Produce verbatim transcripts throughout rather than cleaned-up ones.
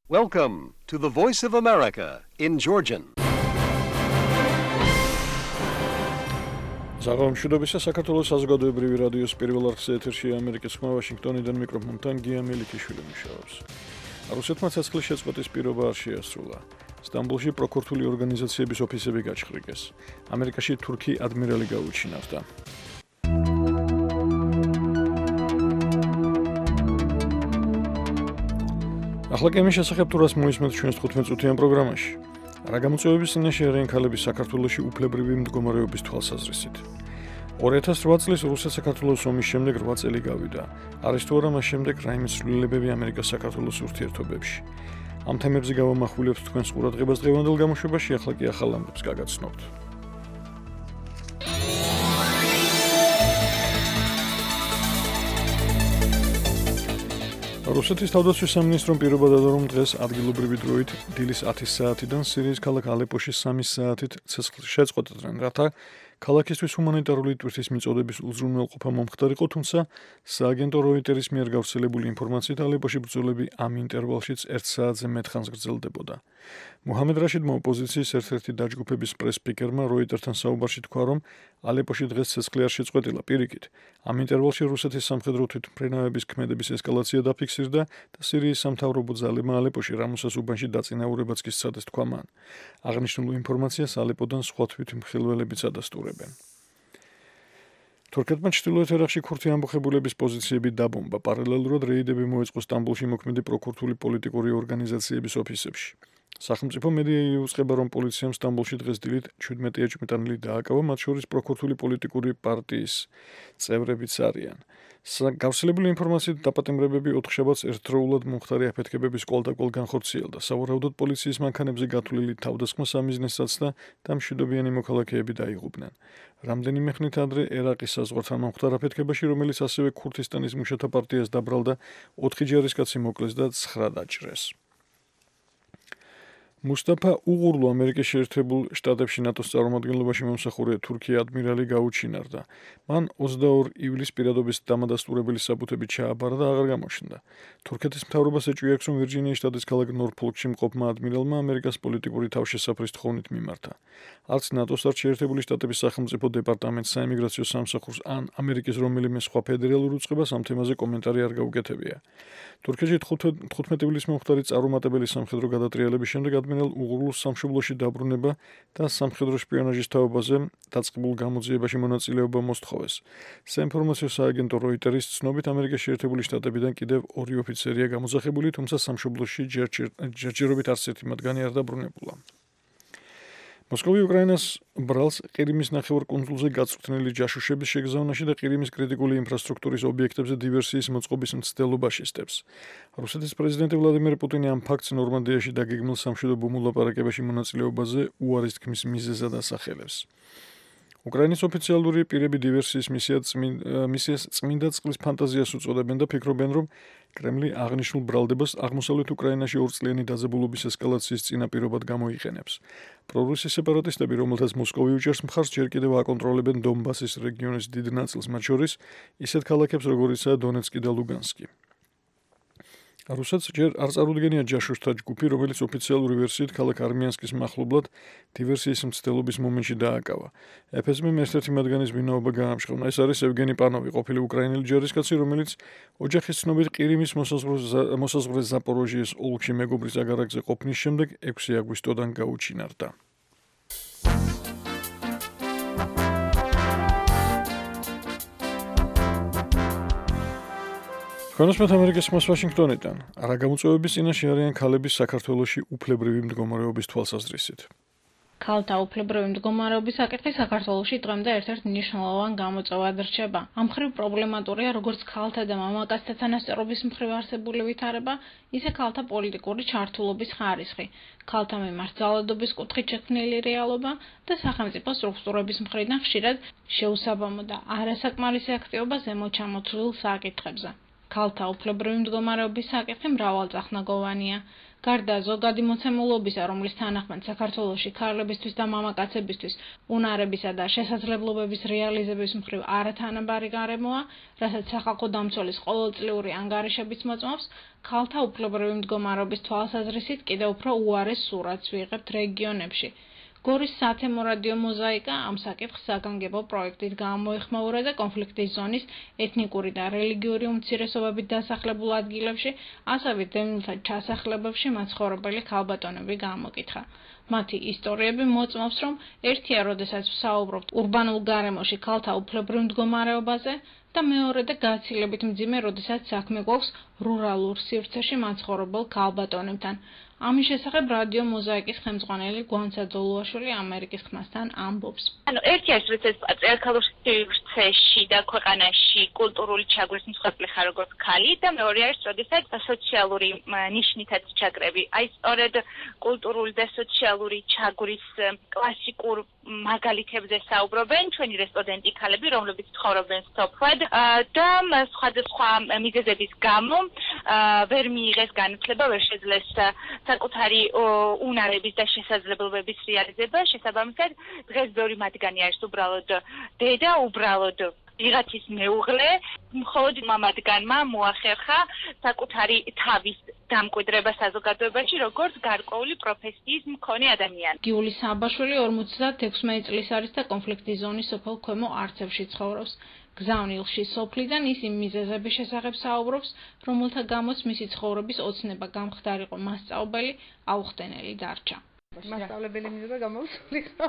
Welcome to the Voice of America in Georgian. Ზაღამშვიდობისა საქართველოს საზოგადოებრივი რადიოს პირველ არხზე ეთერში ამერიკის ხმა ვაშინგტონიდან მიკროფონთან გია მელიქიშვილი მუშაობს. რუსეთმა ცეცხლის შეწყვეტის პირობა არ შეასრულა. სტამბოლში პროკურორული ორგანიზაციების ოფისები გაჩხრიგეს. ამერიკაში თურქი ადმირალი გაუჩინარდა. ახლა კემის შესახებ თუ რას მოისმენთ ჩვენს თხუთმეტ წუთიან პროგრამაში. რა გამოწვევების წინაშე არიან ქალები საქართველოში უფლებრივი მდგომარეობის თვალსაზრისით. ორი ათას ოთხ წლის რუსეთ-საქართველოს ომის შემდეგ რვა წელი გავიდა. არის თუ არა მას შემდეგ რაიმე ცვლილებები ამერიკა-საქართველოს ურთიერთობებში. ამ თემებზე გავამახვილებთ თქვენს ყურადღებას დღევანდელ გამოშვებაში, ახლა კი ახალ ამბებს გაგაცნობთ. რუსეთის თავდაცვის სამინისტრომ პირობა დადო, რომ დღეს ადგილობრივი დროით დილის ათი საათიდან სირიის ქალაქ ალეპოში სამი საათით ცეცხლს შეწყვეტდნენ, რათა ქალაქისთვის ჰუმანიტარული ტვირთის მიწოდების უზრუნველყოფა მომხდარიყო, თუმცა სააგენტო როიტერის მიერ გავრცელებული ინფორმაციით ალეპოში ბრძოლები ამ ინტერვალშიც ერთ საათზე მეტ ხანს გრძელდებოდა. მუჰამედ რაშიდმა ოპოზიციის ერთ-ერთი დაჯგუფების პრეს-სპიკერმა როიტერთან საუბარში თქვა, რომ ალეპოში დღეს ცეცხლი არ შეწყვეტილა, პირიქით. ამ ინტერვალში რუსეთის სამხედრო თვითმფრინავების ქმედების ესკალაცია დაფიქსირდა და სირიის სამთავრობო ძალებმა ალეპოში რამუსას უბანში დაწინაურებაც კი სცადეს, თქვა მან. აღნიშნულ ინფორმაციას ალეპოდან სხვა თვითმხილველებიც ადასტურებენ. თურქეთმა ჩრდილოეთ ერაყში ქურთი ამბოხებულების პოზიციები დაბომბა. პარალელურად რეიდები მოეწყო სტამბოლში მოქმედი პროკურორული პოლიტიკური ორგანიზაციების ოფისებში. სახელმწიფო მედია იუწყება, რომ პოლიციამ სტამბოლში დღეს დილით ჩვიდმეტი ეჭვმიტანილი დააკავა, მათ შორის პროკურორული პოლიტიკური პარტიის წევრებიც არიან. გავრცელებული ინფორმაციით დაპატიმრებები ოთხშაბათს ერთდროულად მომხდარი აფეთქებების კვალდაკვალ განხორციელდა. სავარაუდოდ პოლიციის მანქანებზე გათვლილი თავდასხმა სამიზნესაც და მშვიდობიანი მოქალაქეები დაიღუპნენ. რამდენიმე ხნით ადრე ერაყის საზღვართან მომხდარ აფეთქებაში, რომელიც ასევე ქურთისტანის მუშათა პარტიას დაბრალდა, ოთხი ჯარისკაცი მოკლეს და ცხრა დაჭრეს. მუსტაფა უღურლუ ამერიკის შეერთებულ შტატებში ნატოს წარმომადგენლობაში მომსახურე თურქი ადმირალი გაუჩინარდა. მან ოცდაორი ივლისს პირადობის დამადასტურებელი საბუთები ჩააბარა და აღარ გამოჩნდა. თურქეთის მთავრობას ეჭვი აქვს, რომ ვირჯინიის შტატის ქალაქ ნორფოლკში მყოფმა ადმირალმა ამერიკას პოლიტიკური თავშესაფრის თხოვნით მიმართა. არც ნატოს, არც შეერთებული შტატების სახელმწიფო დეპარტამენტს, საიმიგრაციო სამსახურს ან ამერიკის რომელიმე სხვა ფედერალურ უწყებას ამ თემაზე კომენტარი არ გაუკეთებია. თურქეთში თხუთმეტი ივლისს მომხდარი წარუმატებელი სამხედრო გადატრიალების შემდეგ ადმირალ უღურლუს სამშობლოში დაბრუნება და სამხედრო შპიონაჟის თაობაზე დაწყებულ გამოძიებაში მონაწილეობა მოსთხოვეს. საინფორმაციო სააგენტო როიტერის ცნობით, ამერიკის შეერთებული შტატებიდან კიდევ ორი ოფიცერია გამოძახებული, თუმცა სამშობლოში ჯერჯერობით არც ერთი მათგანი არ დაბრუნებულა. მოსკოვი უკრაინას ბრალს ყირიმის ნახევარკუნძულზე გაწვრთნილი ჯაშუშების შეგზავნაში და ყირიმის კრიტიკული ინფრასტრუქტურის ობიექტებზე დივერსიის მოწყობის მცდელობაში სტებს. რუსეთის პრეზიდენტი ვლადიმერ პუტინი ამ ფაქტს ნორმანდიაში დაგეგმილ სამშვიდობო მოლაპარაკებაში მონაწილეობაზე უარის თქმის მიზეზად ასახელებს. უკრაინის ოფიციალური პირები დივერსიის მისიას წმინდა წყლის ფანტაზიას უწოდებენ და ფიქრობენ, რომ კრემლი აღნიშნულ ბრალდებას აღმოსავლეთ უკრაინაში ორწლიანი დაძაბულობის ესკალაციის წინაპირობად გამოიყენებს. პრორუსი სეპარატისტები, რომელთაც მოსკოვი უჭერს მხარს, ჯერ კიდევ აკონტროლებენ დონბასის რეგიონის დიდ ნაწილს, მათ შორის ისეთ ქალაქებს, როგორიცაა დონეცკი და ლუგანსკი. რუსეთს ჯერ არ წარუდგენია ჯაშუშთა ჯგუფი, რომელიც ოფიციალური ვერსიით ქალაქ არმიანსკის მახლობლად დივერსიის მცდელობის მომენტში დააკავა. ეფ ეს მემ ერთ-ერთი მათგანის ვინაობა გაამჟღავნა. ეს არის ევგენი პანოვი, ყოფილი უკრაინელი ჯარისკაცი, რომელიც ოჯახის ცნობით ყირიმის მოსაზღვრე ზაპოროჟიეს ოლქში მეგობრის აგარაკზე ყოფნის შემდეგ ექვსი აგვისტოდან გაუჩინარდა. კონსპეთ ამერიკის ხმას ვაშინგტონიდან. რა გამოწვევების წინაშე არიან ქალები საქართველოში უფლებრივი მდგომარეობის თვალსაზრისით. ქალთა უფლებრივი მდგომარეობის საკითხი საქართველოში დღემდე ერთ-ერთ მნიშვნელოვან გამოწვევად რჩება. ამ მხრივ პრობლემატურია როგორც ქალთა და მამაკაცთა თანასწორობის მხრივ არსებული ვითარება, ისე ქალთა პოლიტიკური ჩართულობის ხარისხი, ქალთა მიმართ ძალადობის კუთხით შექმნილი რეალობა და სახელმწიფო სტრუქტურების მხრიდან ხშირად შეუსაბამო და არასაკმარისი აქტივობა ზემოთ ჩამოთვლილ საკითხებზე. ქალთა უფლებრივი მდგომარეობის საკითხი მრავალწახნაგოვანია. გარდა ზოგადი მოცემულობისა, რომლის თანახმად საქართველოში ქალებისთვის და მამაკაცებისთვის უნარებისა და შესაძლებლობების რეალიზების მხრივ არათანაბარი გარემოა, რასაც სახალხო დამცველის ყოველწლიური ანგარიშებიც მოწმობს, ქალთა უფლებრივი მდგომარეობის თვალსაზრისით კიდევ უფრო უარეს სურათს ვიღებთ რეგიონებში. გორის სათემო რადიო მოზაიკა ამ საკითხს საგანგებო პროექტით გამოეხმაურა და კონფლიქტის ზონის ეთნიკური და რელიგიური უმცირესობებით დასახლებულ ადგილებში, ასევე დევნილთა ჩასახლებებში მაცხოვრებელი ქალბატონები გამოკითხა. მათი ისტორიები მოწმობს, რომ ერთია, როდესაც ვსაუბრობთ ურბანულ გარემოში ქალთა უფლებრივ მდგომარეობაზე და მეორედა გაცილებით მძიმე, როდესაც საქმე გვაქვს რურალურ სივრცეში მაცხოვრებელ ქალბატონებთან. ამის შესახებ რადიო მოზაიკის ხელმძღვანელი გვანცა ძოლუაშვილი ამერიკის ხმასთან ამბობს. ანუ ერთი არის, როდესაც პატრიარქალურ სივრცეში და ქვეყანაში კულტურული ჩაგვრის მსხვერპლი ხარ როგორც ქალი და მეორე არის, როდესაც სოციალური ნიშნითაც ჩაგრები. აი სწორედ კულტურული და სოციალური ჩაგვრის კლასიკურ მაგალითებზე საუბრობენ ჩვენი რესპონდენტი ქალები, რომლებიც ცხოვრობენ სოფლად და სხვადასხვა მიზეზების გამო ვერ მიიღეს განათლება, ვერ შეძლეს საკუთარი უნარების და შესაძლებლობების რეალიზება. შესაბამისად, დღეს ბევრი მათგანი არის უბრალოდ დედა, უბრალოდ ვიღაცის მეუღლე, მხოლოდ მამადგანმა მოახერხა საკუთარი თავის დამკვიდრება საზოგადოებაში, როგორც გარკვეული პროფესიის მქონე ადამიანი. გიული საბაშვილი ორმოცდაექვსი წლის არის და კონფლიქტის ზონის სოფელ ქვემო არცევში ცხოვრობს. გზავნილში სოფლიდან ის იმ მიზეზების შესახებ საუბრობს, რომელთა გამოც მისი ცხოვრების ოცნება გამხდარიყო მასწავლებელი აუხდენელი დარჩა. მასწავლებელი მიზება გამოსულიყო.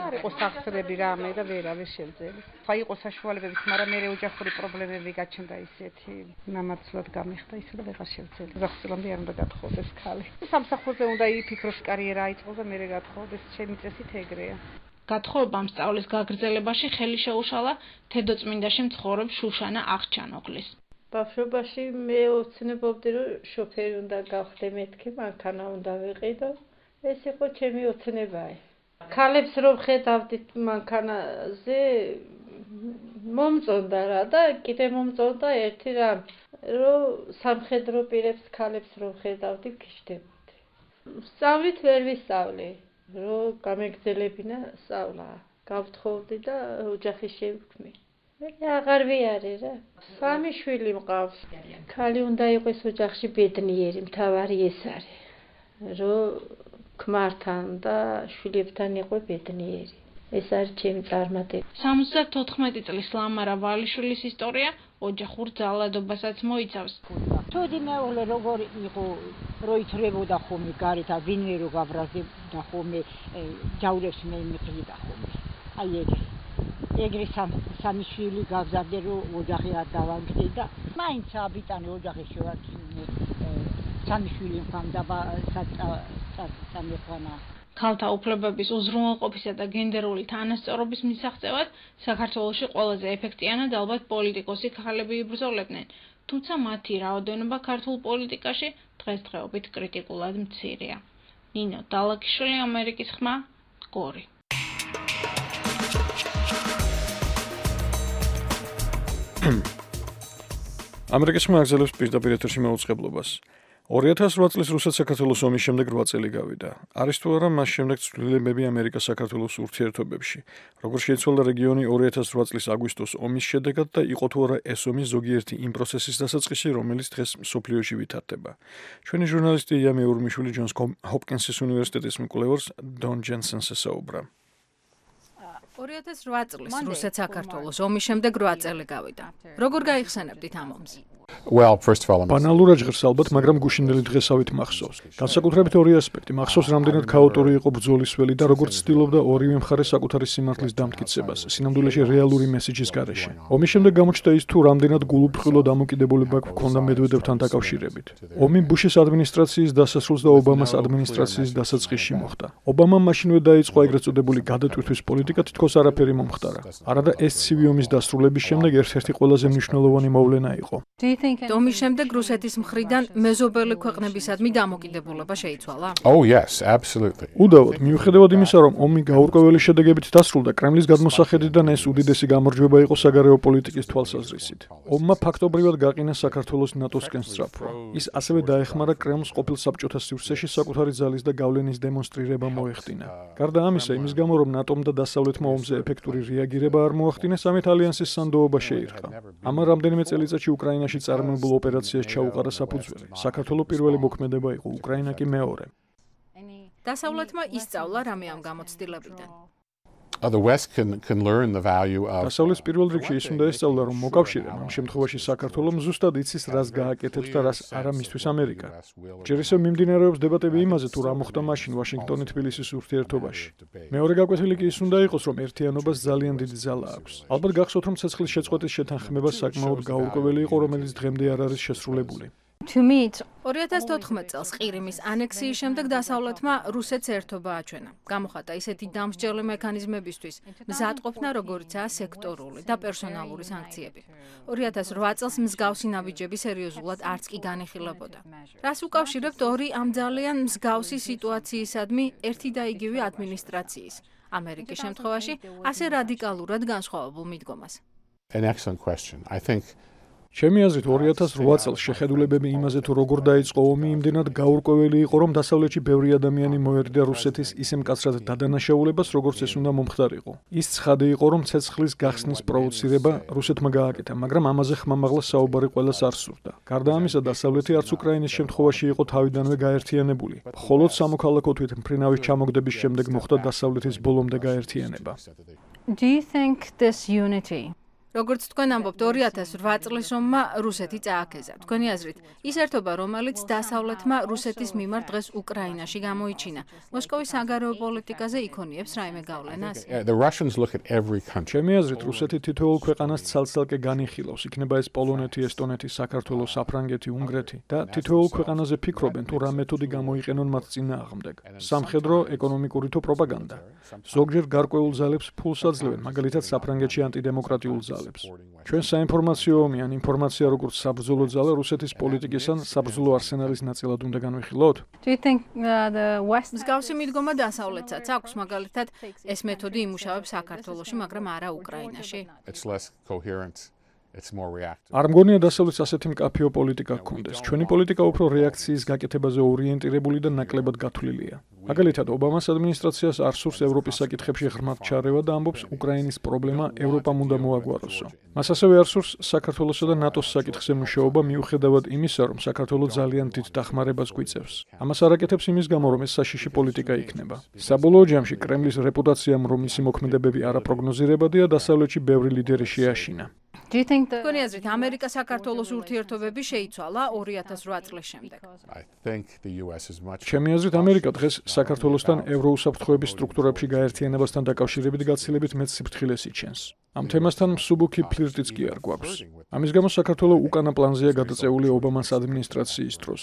არ იყო სახსრები რამე და ვერავე შევძელი. ხა იყო საშუალებებიც, მაგრამ მე ოჯახური პრობლემები გაჩნდა ისეთი. მამაცლად გამიხდა ისე და ვეღარ შევძელი. ზახსრამდე არ უნდა გათხოვდეს ქალი. სამსახურზე უნდა იფიქროს კარიერა აიწყო და მე გათხოვდეს, ჩემი წესით ეგრეა. გათხოვებამ სწავლის გაგრძელებაში ხელი შეუშალა თედოწმინდაში მცხოვრებ შუშანა აღჩანოღლის. ბავშვობაში მე ოცნებობდი, რომ შოფერი უნდა გავხდე მეთქი, მანქანა უნდა ვიყიდო. ეს იყო ჩემი ოცნება. ქალებს რომ ხედავდით მანქანაზე მომწონდა რა და კიდე მომწონდა ერთი რამ, რომ სამხედრო პირებს ქალებს რომ ხედავდი გიშდებოდი. სწავლით ვერ ვისწავლე. რომ გამეგზელებინა სწავლა. გავთხოვდი და ოჯახი შევქმნი. მე აღარ ვიარე რა. სამი შვილი მყავს. ქალი უნდა იყოს ოჯახში ბედნიერი, მთავარი ეს არის. რომ ქმართან და შვილებთან იყო ბედნიერი. ეს არის ჩემი წარმატება. სამოცდათოთხმეტი წლის ლამარა ვალიშვილის ისტორია ოჯახურ ძალადობასაც მოიცავს. თუდი მეუღლე როგორი იყო, რო ითრებოდა ხომი გარეთ, ვინმე რო გაბრაზებდა ხომი, ჯავრებს მე მიყრიდა ხომი. აი ეგრე. ეგრე სამი შვილი გავზარდე, რომ ოჯახი არ დავანგრდი და მაინც აბიტანი ოჯახი შევარჩინე. სამი შვილი მქონდა სამეფანა. ქალთა უფლებების უზრუნველყოფისა და გენდერული თანასწორობის მისაღწევად საქართველოში ყველაზე ეფექტიანად ალბათ პოლიტიკოსი ქალები იბრძოლებდნენ, თუმცა მათი რაოდენობა ქართულ პოლიტიკაში დღესდღეობით კრიტიკულად მცირეა. ნინო დალაკიშვილი, ამერიკის ხმა, გორი. ამერიკის ხმა აგზელებს პირდაპირ ეთერში მეუწყებლობას. ორი ათას რვა წლის რუსეთ-საქართველოს ომის შემდეგ რვა წელი გავიდა. არის თუ არა მას შემდეგ ცვლილებები ამერიკა-საქართველოს ურთიერთობებში. როგორ შეიცვალა რეგიონი ორი ათას რვა წლის აგვისტოს ომის შედეგად და იყო თუ არა ეს ომი ზოგიერთი იმ პროცესის დასაწყისი, რომელიც დღეს მსოფლიოში ვითარდება. ჩვენი ჟურნალისტი ია მეურმიშვილი ჯონს ჰოპკინსის უნივერსიტეტის მკვლევარს დონ ჯენსენს ესაუბრა. ორი ათას რვა წლის რუსეთ-საქართველოს ომის შემდეგ რვა წელი გავიდა. როგორ გაიხსენებდით ამ ომს? Well, first of all, ბანალურად ჟღერს ალბათ, მაგრამ გუშინდელი დღესავით მახსოვს. განსაკუთრებით ორი ასპექტი. მახსოვს, რამდენად ქაოტური იყო ბრძოლის ველი და როგორც ცდილობდა ორივე მხარე საკუთარი სიმართლის დამტკიცებას, სინამდვილეში რეალური მესიჯის გარეშე. ომის შემდეგ გამოჩნდა ის, თუ რამდენად გულუფრხილო დამოკიდებულება ჰქონდა მედვედევთან დაკავშირებით. ომი ბუშის ადმინისტრაციის დასასრულს და ობამას ადმინისტრაციის დასაწყისში მოხდა. ობამამ მაშინვე დაიწყო ეგრეთ წოდებული გადატვირთვის პოლიტიკა, თითქოს არაფერი მომხდარა. არადა ეს ცივი ომის დასრულების შემდეგ ერთ-ერთი ყველაზე მნიშვნელოვანი მოვლენა იყო. ტომის შემდეგ რუსეთის მხრიდან მეზობელი ქვეყნებისადმი დამოკიდებულება შეიცვალა? Oh yes, absolutely. უდავოდ, მიუხედავად იმისა, რომ ომი გაურკვეველი შედეგებით დასრულდა, კრემლის გადმოსახედიდან ეს უდიდესი გამარჯვება იყო საგარეო პოლიტიკის თვალსაზრისით. ომმა ფაქტობრივად გაყინა საქართველოს ნატოსკენ სწრაფვა. ის ასევე დაეხმარა კრემლს ყოფილ საბჭოთა სივრცეში საკუთარი ძალის და გავლენის დემონსტრირება მოეხდინა. გარდა ამისა, იმის გამო, რომ ნატომ და დასავლეთმა ომზე ეფექტური რეაგირება არ მოახდინეს, ამით ალიანსის სანდოობა შეირყა. ამან რამდენიმე წელიწადში უკრაინაში წარმოებულ ოპერაციას ჩაუყარა საფუძველი. საქართველოს პირველი მოქმედება იყო, უკრაინა კი მეორე. დასავლეთმა ისწავლა რამე ამ გამოცდილებიდან. Uh, the West can can learn the value of დასავლეთის პირველ რიგში ის უნდა ესწავლა, რომ მოკავშირემ ამ შემთხვევაში საქართველოს ზუსტად იცის, რას გააკეთებს და რას არა მისთვის ამერიკა. ჯერ ისევ მიმდინარეობს დებატები იმაზე, თუ რა მოხდა მაშინ ვაშინგტონი თბილისის ურთიერთობაში. მეორე გაკვეთილი კი ის უნდა იყოს, რომ ერთიანობას ძალიან დიდი ძალა აქვს. ალბათ გახსოვთ, რომ ცეცხლის შეწყვეტის შეთანხმება საკმაოდ გაურკვეველი იყო, რომელიც დღემდე არ არის შესრულებული. ორი ათას თოთხმეტ წელს ყირიმის ანექსიის შემდეგ დასავლეთმა რუსეთს ერთობა აჩვენა. გამოხატა ისეთი დამსჯელი მექანიზმებისთვის მზადყოფნა, როგორიცაა სექტორული და პერსონალური სანქციები. ორი ათას რვა წელს მსგავსი ნაბიჯები სერიოზულად არც კი განიხილებოდა. რას უკავშირებთ ორი ამ ძალიან მსგავსი სიტუაციისადმი ერთი და იგივე ადმინისტრაციის, ამერიკის შემთხვევაში ასე რადიკალურად განსხვავებულ მიდგომას? An excellent question. I think ჩემი აზრით ორი ათას რვა წელს შეხედულებები იმაზე, თუ როგორ დაიწყო ომი, იმდენად გაურკვეველი იყო, რომ დასავლეთში ბევრი ადამიანი მოერიდა რუსეთის ისე მკაცრად დადანაშაულებას, როგორც ეს უნდა მომხდარიყო. ის ცხადი იყო, რომ ცეცხლის გახსნის პროვოცირება რუსეთმა გააკეთა, მაგრამ ამაზე ხმამაღლა საუბარი ყველას არ სურდა. გარდა ამისა, დასავლეთი არც უკრაინის შემთხვევაში იყო თავიდანვე გაერთიანებული. მხოლოდ სამოქალაქო თვით მფრინავის ჩამოგდების შემდეგ მოხდა დასავლეთის ბოლომდე გაერთიანება. Do you think this unity როგორც თქვენ ამბობთ, ორი ათას რვა წლის ომმა რუსეთი წააქეზა. თქვენი აზრით, ის ერთობა, რომელიც დასავლეთმა რუსეთის მიმართ დღეს უკრაინაში გამოიჩინა, მოსკოვის საგარეო პოლიტიკაზე იქონიებს რაიმე გავლენას? the Russians look at every country. ჩემი აზრით, რუსეთი თითოეულ ქვეყანას ცალ-ცალკე განიხილავს, იქნება ეს პოლონეთი, ესტონეთი, საქართველო, საფრანგეთი, უნგრეთი და თითოეულ ქვეყანაზე ფიქრობენ, თუ რა მეთოდი გამოიყენონ მათ წინააღმდეგ. სამხედრო, ეკონომიკური თუ პროპაგანდა. ზოგჯერ გარკვეულ ძალებს ფულს აძლევენ, მაგალითად საფრანგეთში ანტიდემოკრატიულ ძალებს. ჩვენ საინფორმაციო ომი ან ინფორმაცია როგორც საბრძოლო ძალა რუსეთის პოლიტიკის ან საბრძოლო არსენალის ნაწილად უნდა განვიხილოთ? Do you think uh, the West მსგავსი მიდგომა დასავლეთსაც აქვს, მაგალითად, ეს მეთოდი იმუშავებს საქართველოში, მაგრამ არა უკრაინაში? It's less coherent. It's more reactive. არ მგონია დასავლეთს ასეთი მკაფიო პოლიტიკა ჰქონდეს. ჩვენი პოლიტიკა უფრო რეაქციის გაკეთებაზე ორიენტირებული და ნაკლებად გათვლილია. მაგალითად, ობამას ადმინისტრაციას არ სურს ევროპის საკითხებში ღრმად ჩარევა და ამბობს, უკრაინის პრობლემა ევროპამ უნდა მოაგვაროსო. მას ასევე არ სურს საქართველოსა და ნატოს საკითხზე მუშაობა, მიუხედავად იმისა, რომ საქართველო ძალიან დიდ დახმარებას გვიწევს. ამას არ აკეთებს იმის გამო, რომ ეს საშიში პოლიტიკა იქნება. საბოლოო ჯამში კრემლის რეპუტაციამ, რომ მისი მოქმედებები არაპროგნოზირებადია, დასავლეთში ბევრი ლიდერი შეაშინა. Do you think the თქვენი აზრით, ამერიკა-საქართველოს ურთიერთობები შეიცვალა ორი ათას რვა წლის შემდეგ? I think the U S is much ჩემი აზრით, ამერიკა დღეს საქართველოსთან ევროუსაფრთხოების სტრუქტურებში გაერთიანებასთან დაკავშირებით გაცილებით მეც სიფრთხილეს იჩენს. ამ თემასთან მსუბუქი ფლირტიც კი არ გვაქვს. ამის გამო საქართველო უკანა პლანზეა გადაწეული ობამას ადმინისტრაციის დროს.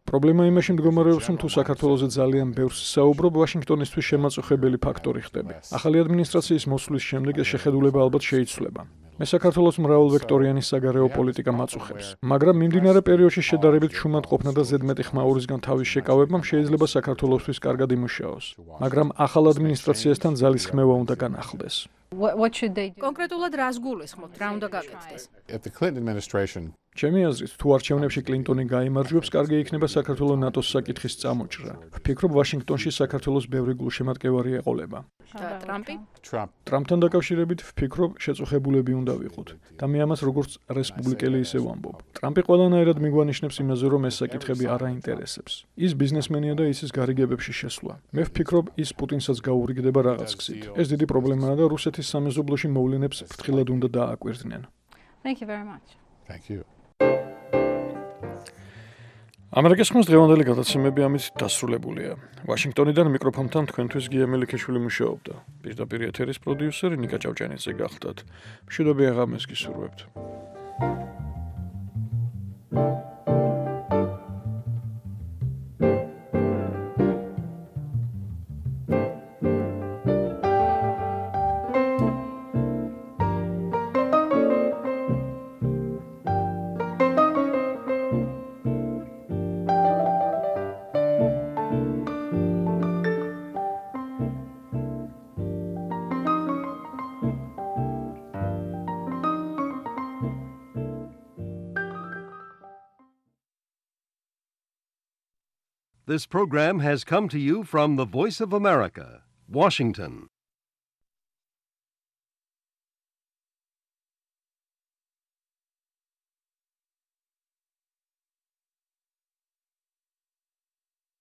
პრობლემა იმაში მდგომარეობს, რომ თუ საქართველოზე ძალიან ბევრს საუბრობ, ვაშინგტონისთვის შემაწუხებელი ფაქტორი ხდება. ახალი ადმინისტრაციის მოსვლის შემდეგ ეს შეხედულება ალბათ შეიცვლება. მე საქართველოს მრავალვექტორიანი საგარეო პოლიტიკა მაწუხებს, მაგრამ მიმდინარე პერიოდში შედარებით შუმად ყოფნა და ზედმეტი ხმაურისგან თავის შეკავებამ შეიძლება საქართველოსთვის კარგად იმუშაოს, მაგრამ ახალ ადმინისტრაციასთან ძალის ხმევა უნდა განახლდეს. what, what should they do? კონკრეტულად რას გულისხმობთ, რა უნდა გაკეთდეს? If the Clinton administration ჩემი აზრით, თუ არჩევნებში კლინტონი გაიმარჯვებს, კარგი იქნება საქართველოს ნატოს საკითხის წამოჭრა. ვფიქრობ, ვაშინგტონში საქართველოს ბევრი გულშემატკივარი ეყოლება. და ტრამპი? Trump ტრამპთან დაკავშირებით ვფიქრობ, შეწუხებულები უნდა ვიყოთ. და მე ამას როგორც რესპუბლიკელი ისე ვამბობ. ტრამპი ყველანაირად მიგვანიშნებს იმაზე, რომ ეს საკითხები არ აინტერესებს. ის ბიზნესმენია და ისის გარიგებებში შესვლა. მე ვფიქრობ, ის პუტინსაც გაურიგდება რაღაც გზით. ეს დიდი პრობლემაა და რუსეთის სამეზობლოში მოვლენებს ფრთხილად უნდა დააკვირდნენ. Thank you very much. Thank you. ამერიკის ხმის დღევანდელი გადაცემები ამით დასრულებულია. ვაშინგტონიდან მიკროფონთან თქვენთვის გია მელიქიშვილი მუშაობდა. პირდაპირ ეთერის პროდიუსერი ნიკა ჭავჭანიძე გახდათ. მშვიდობიან ღამეს გისურვებთ. This program has come to you from the Voice of America, Washington.